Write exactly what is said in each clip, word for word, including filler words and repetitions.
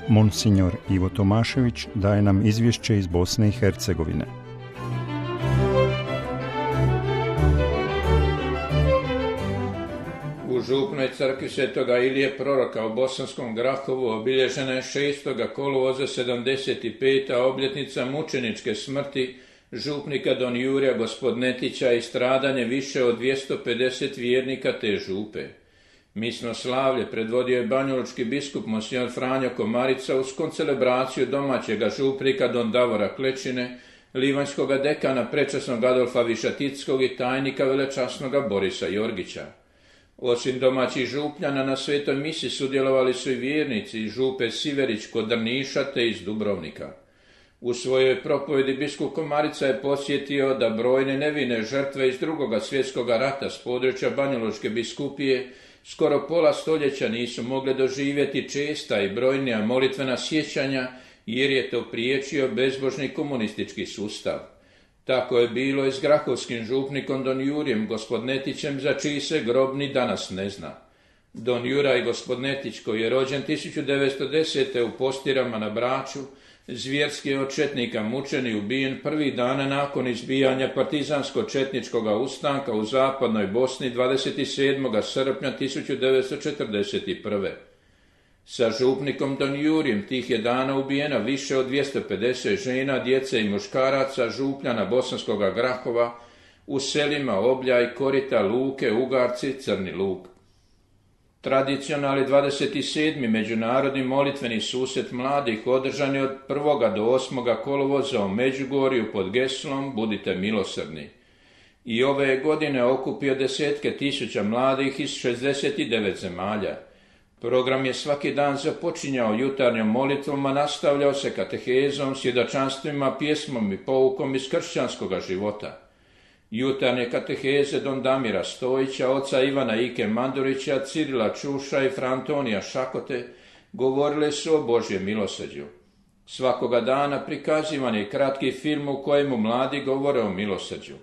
Monsignor Ivo Tomašević daje nam izvješće iz Bosne i Hercegovine. U župnoj crkvi Svetoga Ilije Proroka u Bosanskom Grahovu obilježena je šestoga kolovoza sedamdeset peta obljetnica mučeničke smrti župnika don Jurija Gospodnetića i stradanje više od dvjesto pedeset vjernika te župe. Misno slavlje predvodio je banjalučki biskup monsignor Franjo Komarica uz koncelebraciju domaćega župnika don Davora Klečine, livanjskoga dekana prečasnog Adolfa Višatickog i tajnika velečasnoga Borisa Jorgića. Osim domaćih župljana na svetoj misi sudjelovali su i vjernici iz župe Siverić kod Drniša te iz Dubrovnika. U svojoj propovjedi biskup Komarica je podsjetio da brojne nevine žrtve iz drugoga svjetskog rata s područja Banjalučke biskupije skoro pola stoljeća nisu mogle doživjeti česta i brojnija molitvena sjećanja jer je to priječio bezbožni komunistički sustav. Tako je bilo i s grahovskim župnikom don Jurijem Gospodnetićem za čiji se grob ni danas ne zna. Don Juraj Gospodnetić, koji je rođen tisuću devetsto desete u Postirama na Braču, zvjerski je od četnika mučen i ubijen prvih dana nakon izbijanja partizansko-četničkog ustanka u zapadnoj Bosni dvadeset sedmog srpnja tisuću devetsto četrdeset prve. Sa župnikom don Jurijem tih je dana ubijena više od dvjesto pedeset žena, djece i muškaraca župljana Bosanskoga Grahova u selima Obljaj, Korita, Luke, Ugarci, Crni Lug. Tradicionalni dvadeset sedmi međunarodni molitveni susret mladih održan je od prvog do osmog kolovoza u Međugorju pod geslom Budite milosrdni. I ove je godine okupio desetke tisuća mladih iz šezdeset devet zemalja. Program je svaki dan započinjao jutarnjom molitvom, a nastavljao se katehezom, svjedočanstvima, pjesmom i poukom iz kršćanskoga života. Jutarnje kateheze don Damira Stojića, oca Ivana Ike Mandurića, Cirila Čuša i fra Antonija Šakote govorile su o Božjem milosrđu. Svakoga dana prikazivan je kratki film u kojemu mladi govore o milosrđu.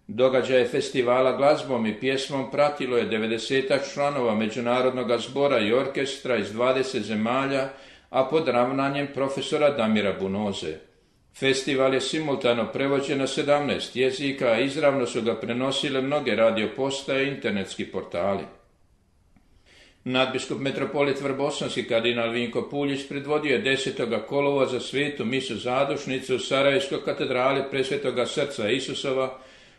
Događaje festivala glazbom i pjesmom pratilo je devedesetak članova Međunarodnog zbora i orkestra iz dvadeset zemalja, a pod ravnanjem profesora Damira Bunoze. Festival je simultano prevođen na sedamnaest jezika, a izravno su ga prenosile mnoge radiopostaje i internetski portali. Nadbiskup metropolit Vrbosanski kardinal Vinko Puljić predvodio je desetog kolovoza svetu misu zadušnicu u Sarajevskoj katedrali Presvetoga srca Isusova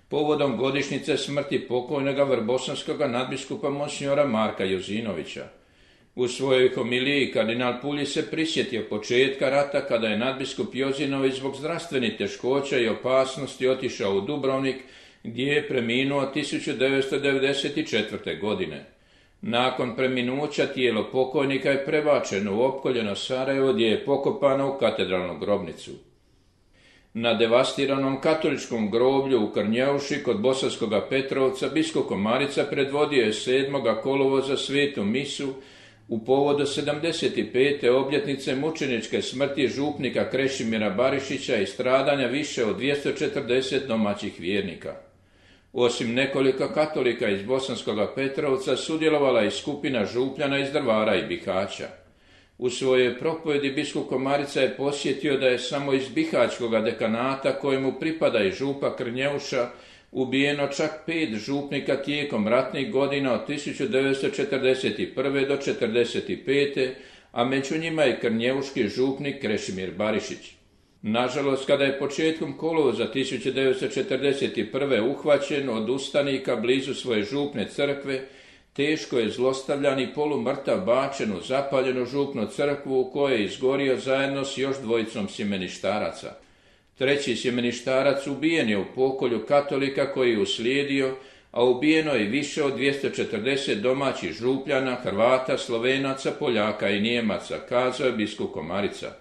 povodom godišnjice smrti pokojnoga vrbosanskoga nadbiskupa monsignora Marka Jozinovića. U svojoj homiliji kardinal Puljić se prisjetio početka rata kada je nadbiskup Jozinović zbog zdravstvenih teškoća i opasnosti otišao u Dubrovnik gdje je preminuo tisuću devetsto devedeset četvrte. godine. Nakon preminuća tijelo pokojnika je prebačeno u opkoljeno Sarajevo gdje je pokopano u katedralnu grobnicu. Na devastiranom katoličkom groblju u Krnjeuši kod Bosanskoga Petrovca biskup Komarica predvodio je sedmog kolovoza svetu misu u povodu sedamdeset pete obljetnice mučeničke smrti župnika Krešimira Barišića i stradanja više od dvjesto četrdeset domaćih vjernika. Osim nekoliko katolika iz Bosanskoga Petrovca sudjelovala i skupina župljana iz Drvara i Bihaća. U svojoj propovjedi biskup Komarica je posjetio da je samo iz Bihaćkoga dekanata kojemu pripada i župa Krnjeuša ubijeno čak pet župnika tijekom ratnih godina od tisuću devetsto četrdeset prve. do četrdeset pete. a među njima je krnjeuški župnik Krešimir Barišić. Nažalost, kada je početkom kolovoza tisuću devetsto četrdeset prve. uhvaćen od ustanika blizu svoje župne crkve, teško je zlostavljan i polumrtav bačen u zapaljenu župnu crkvu u kojoj je izgorio zajedno s još dvojicom sjemeništaraca. Treći sjemeništarac ubijen je u pokolju katolika koji je uslijedio, a ubijeno je više od dvjesto četrdeset domaćih župljana, Hrvata, Slovenaca, Poljaka i Nijemaca, kazao je biskup Komarica.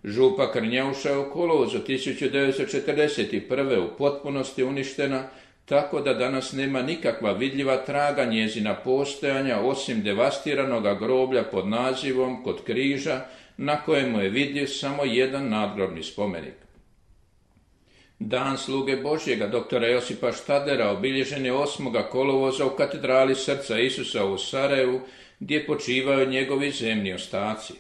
Župa Krnjeuša je u kolovozu tisuću devetsto četrdeset prve. u potpunosti uništena, tako da danas nema nikakva vidljiva traga njezina postojanja osim devastiranoga groblja pod nazivom Kod križa, na kojemu je vidljiv samo jedan nadgrobni spomenik. Dan sluge Božjega doktora Josipa Štadlera obilježen je osmoga kolovoza u katedrali Srca Isusa u Sarajevu, gdje počivaju njegovi zemni ostaci.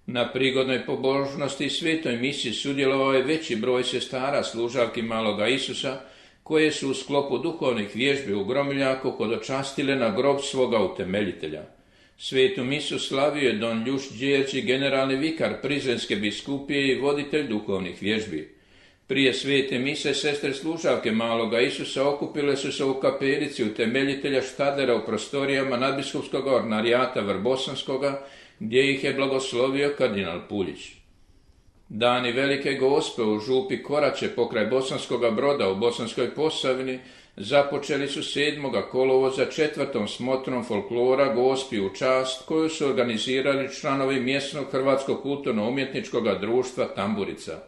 Na prigodnoj pobožnosti i svetoj misi sudjelovao je veći broj sestara služavki maloga Isusa, koje su u sklopu duhovnih vježbi u Gromiljaku hodočastile na grob svoga utemeljitelja. Svetu misu slavio je don Ljuš Đerđi, generalni vikar Prizrenske biskupije i voditelj duhovnih vježbi. Prije svete mise sestre služavke maloga Isusa okupile su se u kapelici utemeljitelja Štadlera u prostorijama nadbiskupskog ordinarijata Vrbosanskoga, gdje ih je blagoslovio kardinal Puljić. Dani Velike Gospe u župi Korače pokraj Bosanskoga Broda u Bosanskoj Posavini započeli su sedmoga kolovoza četvrtom smotrom folklora Gospi u čast, koju su organizirali članovi mjesnog Hrvatskog kulturno-umjetničkog društva Tamburica.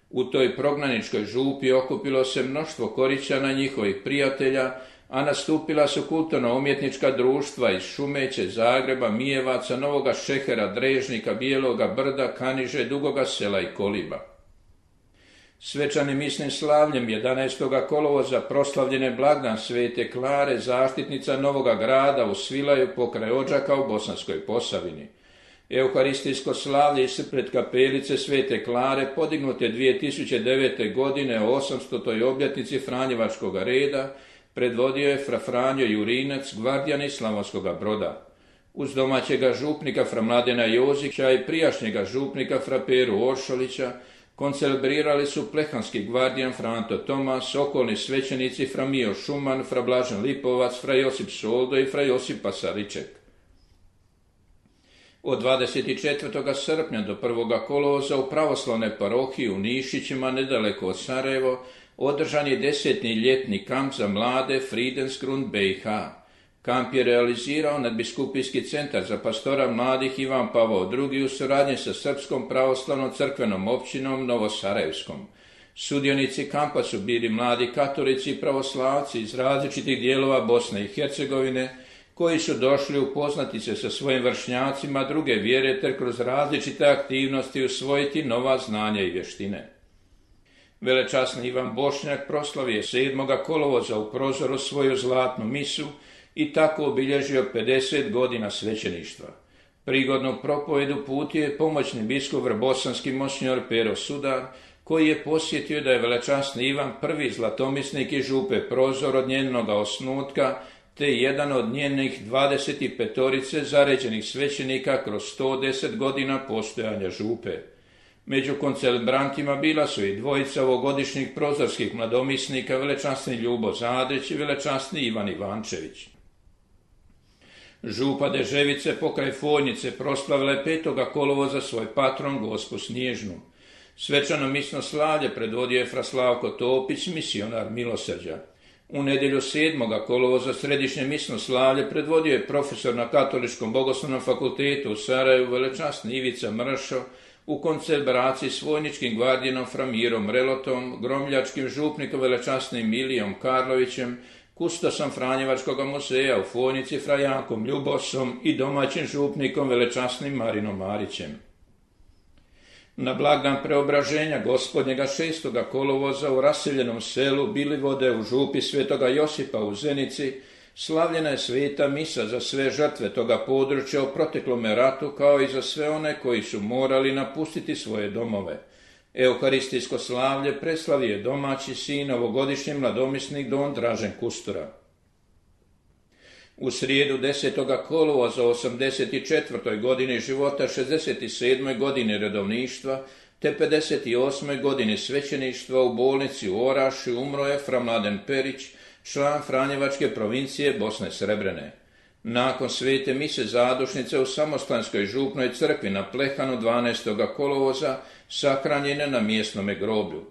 U toj prognaničkoj župi okupilo se mnoštvo Korićana i njihovih prijatelja, a nastupila su kulturno-umjetnička društva iz Šumeće, Zagreba, Mijevaca, Novoga Šehera, Drežnika, Bijeloga Brda, Kaniže, Dugoga Sela i Koliba. Svečanim misnim slavljem jedanaestoga kolovoza proslavljene blagdan Svete Klare, zaštitnica Novoga Grada u Svilaju pokraj Odžaka u Bosanskoj Posavini. Euharistijsko slavlje ispred kapelice Svete Klare podignute je dvije tisuće devete. godine o osamstotoj obljetnici Franjevačkog reda, predvodio je fra Franjo Jurinac, gvardijan iz Slavonskoga Broda. Uz domaćega župnika fra Mladena Jozića i prijašnjega župnika fra Peru Oršolića koncelebrirali su plehanski gvardijan fra Anto Tomas, okolni svećenici fra Mio Šuman, fra Blažen Lipovac, fra Josip Soldo i fra Josip Pasariček. Od dvadeset četvrtog srpnja do prvog kolovoza u pravoslavnoj parohiji u Nišićima, nedaleko od Sarajevo, održan je desetni ljetni kamp za mlade Friedensgrund B i H. Kamp je realizirao nadbiskupijski centar za pastora mladih Ivan Pavao drugi u suradnji sa Srpskom pravoslavnom crkvenom općinom Novosarajevskom. Sudionici kampa su bili mladi katolici i pravoslavci iz različitih dijelova Bosne i Hercegovine, koji su došli upoznati se sa svojim vršnjacima druge vjere ter kroz različite aktivnosti usvojiti nova znanja i vještine. Velečasni Ivan Bošnjak proslavio sedmoga kolovoza u prozoru svoju zlatnu misu i tako obilježio pedeset godina svećeništva. Prigodnu propovedu putio je pomoćni biskup vrbosanski monsinjor Pero Sudar, koji je posjetio da je velečasni Ivan prvi zlatomisnik iz župe Prozor od njenoga osnutka, te jedan od njenih dvadeset petorice zaređenih svećenika kroz sto deset godina postojanja župe. Među koncelebrantima bila su i dvojica ovogodišnjih prozorskih mladomisnika, velečasni Ljubo Zadrić i velečasni Ivan Ivančević. Župa Deževice pokraj Fojnice proslavila je petoga kolovoza svoj patron Gospu Snježnu. Svečano misno slavlje predvodio je fra Slavko Topić, misionar milosrđa. U nedjelju sedmoga kolovoza središnje misno slavlje predvodio je profesor na Katoličkom bogoslovnom fakultetu u Sarajevu velečasni Ivica Mršo u koncelebraciji s vojničkim gvardijanom fra Mirom Relotom, gromljačkim župnikom velečasnim Milijom Karlovićem, kustosom Franjevačkog muzeja u Fojnici fra Jankom Ljubosom i domaćim župnikom velečasnim Marinom Marićem. Na blagdan preobraženja gospodnjega šestoga kolovoza u raseljenom selu Bilivode u župi Svetoga Josipa u Zenici slavljena je sveta misa za sve žrtve toga područja u proteklome ratu, kao i za sve one koji su morali napustiti svoje domove. Euharistijsko slavlje preslavio je domaći sin, ovogodišnji mladomisnik don Dražen Kustura. U srijedu desetoga kolovoza osamdeset četvrtoj godini života, šezdeset sedmoj godini redovništva, te pedeset osmoj godini svećeništva u bolnici u Oraši umro je fra Mladen Perić, član Franjevačke provincije Bosne Srebrene. Nakon svete mise zadušnice u Samostanskoj župnoj crkvi na Plehanu dvanaestoga kolovoza sahranjene na mjesnome groblju.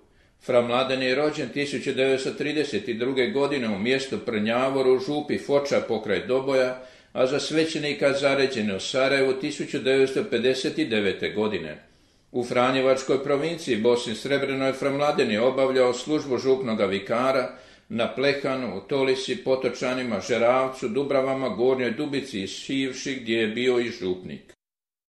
Fra Mladen je rođen tisuću devetsto trideset druge. godine u mjestu Prnjavor u župi Foča pokraj Doboja, a za svećenika zaređen u Sarajevu tisuću devetsto pedeset devete. godine. U Franjevačkoj provinciji Bosni Srebrenoj fra Mladen je obavljao službu župnoga vikara na Plehanu, u Tolisi, Potočanima, Žeravcu, Dubravama, Gornjoj Dubici i Šivši, gdje je bio i župnik.